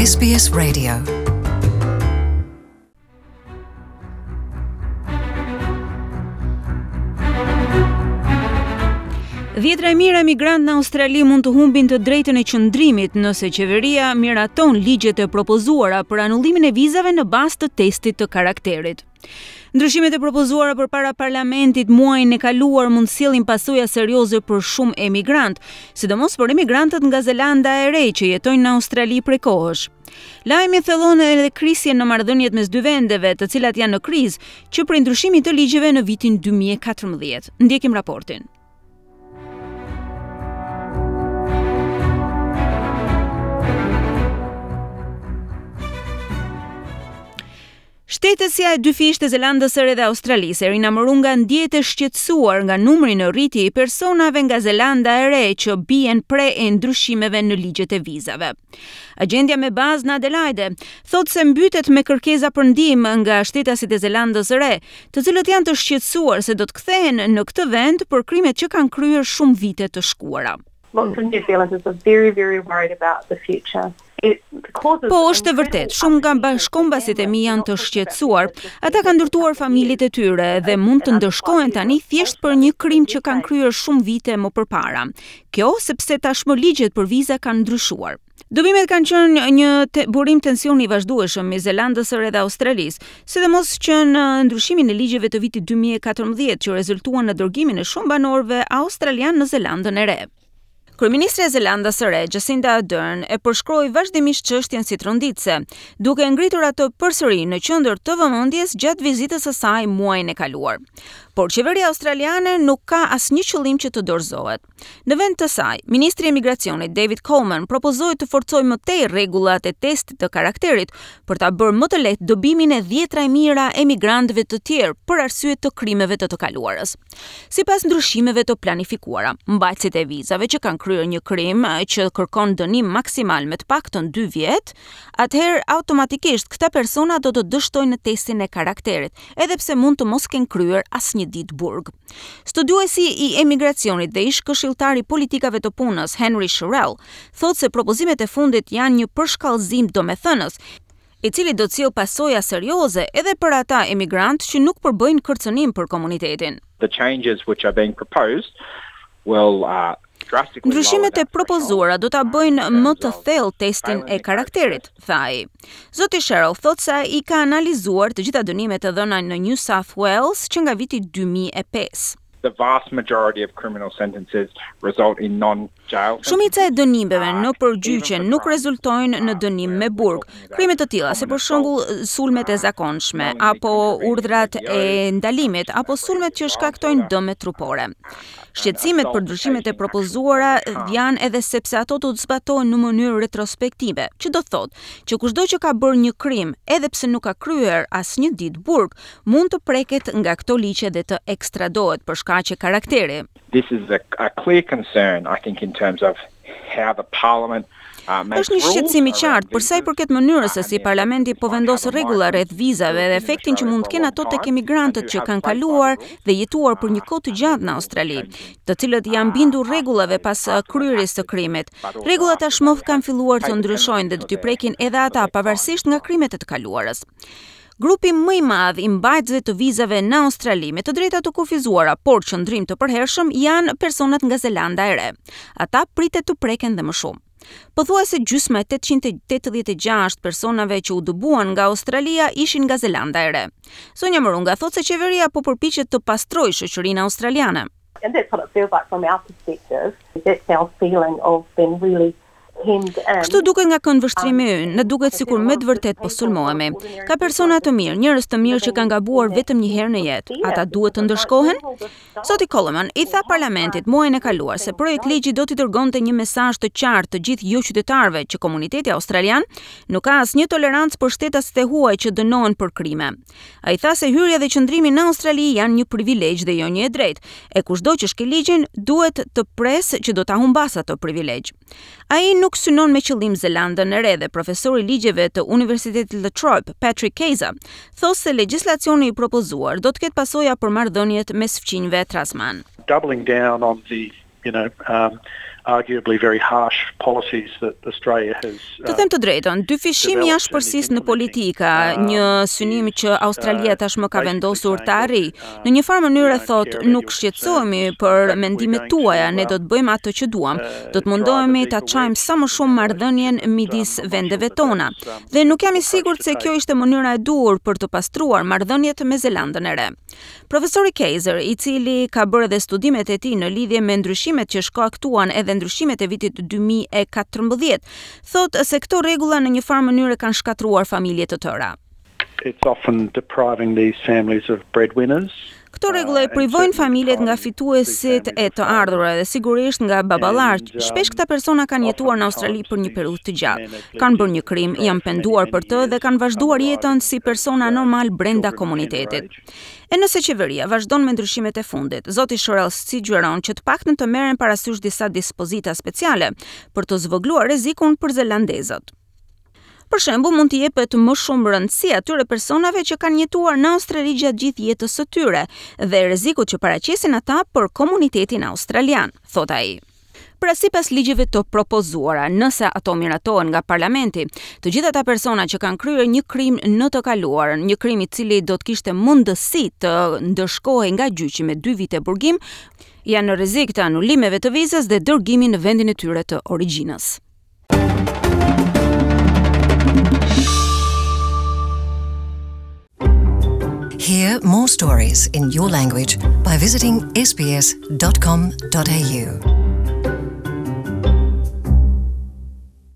SBS Radio. Dhjetra e mijëra emigrantë në Australi mund të humbin të drejtën e qëndrimit nëse qeveria miraton ligjet e propozuara për anullimin e vizave në bazë të testit të karakterit. Ndryshimet e propozuara përpara parlamentit muajin e kaluar mund të sjellin pasoja serioze për shumë emigrantë, sidomos për emigrantët nga Zelanda e Re që jetojnë në Australi prej kohësh. Lajmi thellon edhe krisjen në marrëdhëniet mes dy vendeve, të cilat janë në krizë që prej ndryshimit të ligjeve në vitin 2014. Ndjekim raportin. Shtetësja e dyfishtë e Zelandës së Re dhe Australisë, Erina Morunga ndjehet e shqetësuar nga numri në rritje i personave nga Zelanda e Re që bien pre e ndryshimeve në ligjet e vizave. Agjentja me bazë në Adelaide thotë se mbytet me kërkesa për ndihmë nga shtetasit e Zelandës së Re, të cilët janë të shqetësuar se do të kthehen në këtë vend për krimet që kanë kryer shumë vite të shkuara. Lots of New Zealanders are very, very worried about the future. Po, është e vërtetë, shumë nga bashkëkombasit e mi janë të shqetësuar. Ata kanë ndërtuar familjet e tyre dhe mund të ndëshkohen tani thjesht për një krim që kanë kryer shumë vite më përpara. Kjo sepse tashmë ligjet për viza kanë ndryshuar. Dëbimet kanë qenë një te, burim tensioni i vazhdueshëm mes Zelandës së Re dhe Australisë, sidomos që në ndryshimin e ligjeve të vitit 2014 që rezultuan në dërgimin e shumë banorëve australianë në Zelandën e Re. Kryeministrja e Zelandës së Re, Jacinda Ardern, e përshkroi vazhdimisht çështjen si tronditëse, duke e ngritur atë përsëri në qendër të vëmendjes gjatë vizitës së saj muajin e kaluar. Por qeveria australiane nuk ka asnjë qëllim që të dorëzohet. Në vend të saj, ministri i Emigracionit David Coleman propozoi të forcojë më tej rregullat e testit të karakterit për ta bërë më të lehtë dëbimin e dhjetra e mijëra emigrantëve të tjerë për arsye të krimeve të të kaluarës. Sipas ndryshimeve të planifikuara, mbajtësit e vizave që kanë kryer një krim që kërkon dënim maksimal me të paktën 2 vjet, atëherë automatikisht këta persona do të dështojnë në testin e karakterit, edhe pse mund të mos kenë kryer asnjë ditë burg. Studiuesi i emigracionit dhe ish-këshilltari i politikave të punës, Henry Sherrill, thotë se propozimet e fundit janë një përshkallëzim domethënës, i cili do të sjellë pasoja serioze edhe për ata emigrantë që nuk përbëjnë kërcënim për komunitetin. The changes which are being proposed will uh, Ndryshimet e propozuara do ta bëjnë më të thellë testin e karakterit, tha ai. Zoti Sherrill thotë se ai ka analizuar të gjitha dënimet e dhëna në New South Wales që nga viti 2005. The vast majority of criminal sentences result in non jail sentences. Shumica e dënimeve nëpër gjyqe nuk rezultojnë në dënim me burg. Krime të tilla, si për shembull sulmet e zakonshme apo urdhrat e ndalimit apo sulmet që shkaktojnë dëme trupore. Shqetësimet për ndryshimet e propozuara janë edhe sepse ato do të zbatohen në mënyrë retrospektive, që do të thotë që kushdo që ka bërë një krim, edhe pse nuk ka kryer asnjë ditë burg, mund të preket nga këto ligje dhe të ekstradohet për shkaqe karakteri. This is a, a clear concern, I think, in terms of how the parliament Është një shqetësim i qartë për sa i përket mënyrës se si parlamenti po vendos rregulla rreth vizave dhe efektin që mund të kenë ato tek emigrantët që kanë kaluar dhe jetuar për një kohë të gjatë në Australi, të cilët janë bindur rregullave pas kryerjes së krimit. Rregullat tashmë kanë filluar të ndryshojnë dhe do t'i prekin edhe ata pavarësisht nga krimet e të kaluarës. Grupi më i madh i mbajtësve të vizave në Australi me të drejta të kufizuara, por qëndrim të përhershëm janë personat nga Zelanda e Re. Ata pritet të preken dhe më shumë. Pothuajse gjysma e 886 personave që u dëbuan nga Australia ishin nga Zelanda e Re. Zonja Morunga thotë se qeveria po përpiqet të pastrojë shoqërinë australiane. And that's what it feels like from our perspective. That's our feeling of being really Kështu duket nga këndvështrimi ynë, na duket sikur me të vërtetë po sulmohemi. Ka persona të mirë, njerëz të mirë që kanë gabuar vetëm një herë në jetë. Ata duhet të ndëshkohen? Zoti Coleman i tha parlamentit muajin e kaluar se projektligji do t'i dërgonte një mesazh të qartë të gjithë joqytetarëve që komuniteti australian nuk ka asnjë tolerancë për shtetasit e huaj që dënohen për krime. Ai tha se hyrja dhe qëndrimi në Australi janë një privilegj dhe jo një e drejtë, e kushdo që shkel ligjin duhet të presë që do ta humbasë atë privilegj. Ai nuk synon me qëllim Zelandën e Re dhe profesori i ligjeve të Universitetit La Trobe, Patrick Keyzer, thotë se legjislacioni i propozuar do të ketë pasoja për marrëdhëniet mes fqinjve Tasman. Doubling down on the you know, um, Arguably very harsh policies that Australia has Të them të drejtën, dyfishimi i ashpërsisë në politika, një synim që Australia tashmë ka vendosur ta arrijë, në një farë mënyre thotë nuk shqetësohemi për mendimet tuaja, ne do të bëjmë atë që duam, do të mundohemi ta çajmë sa më shumë marrëdhënien midis vendeve tona. Dhe nuk jam i sigurt se kjo ishte mënyra e duhur për të pastruar marrëdhëniet me Zelandën e Re. Profesori Kaiser, i cili ka bërë edhe studimet e tij në lidhje me ndryshimet që shkaktuan edhe ndryshimet e vitit 2014, thotë se këto rregulla në një farë mënyre kanë shkatërruar familje të tëra. It's often depriving these families of breadwinners. Këto rregulla i privojnë familjet nga fituesit e të ardhurave dhe sigurisht nga baballarët. Shpesh këta persona kanë jetuar në Australi për një periudhë të gjatë. Kanë bërë një krim, janë penduar për të dhe kanë vazhduar jetën si persona normal brenda komunitetit. E nëse qeveria vazhdon me ndryshimet e fundit, zoti Shorrell sugjeron që të paktën të merren parasysh disa dispozita speciale për të zvogëluar rrezikun për zelandezët. Për shembull, mund t'i jepet më shumë rëndësi atyre personave që kanë jetuar në Australi gjatë gjithë jetës së tyre dhe rrezikut që paraqesin ata për komunitetin australian, thotë ai. Pra sipas ligjeve të propozuara, nëse ato miratohen nga parlamenti, të gjithë ata persona që kanë kryer një krim në të kaluarën, një krim i cili do të kishte mundësi të ndëshkohej nga gjyqi me 2 vite burgim, janë në rrezik të anulimeve të vizës dhe dërgimin në vendin e tyre të origjinës. Hear more stories in your language by visiting sbs.com.au.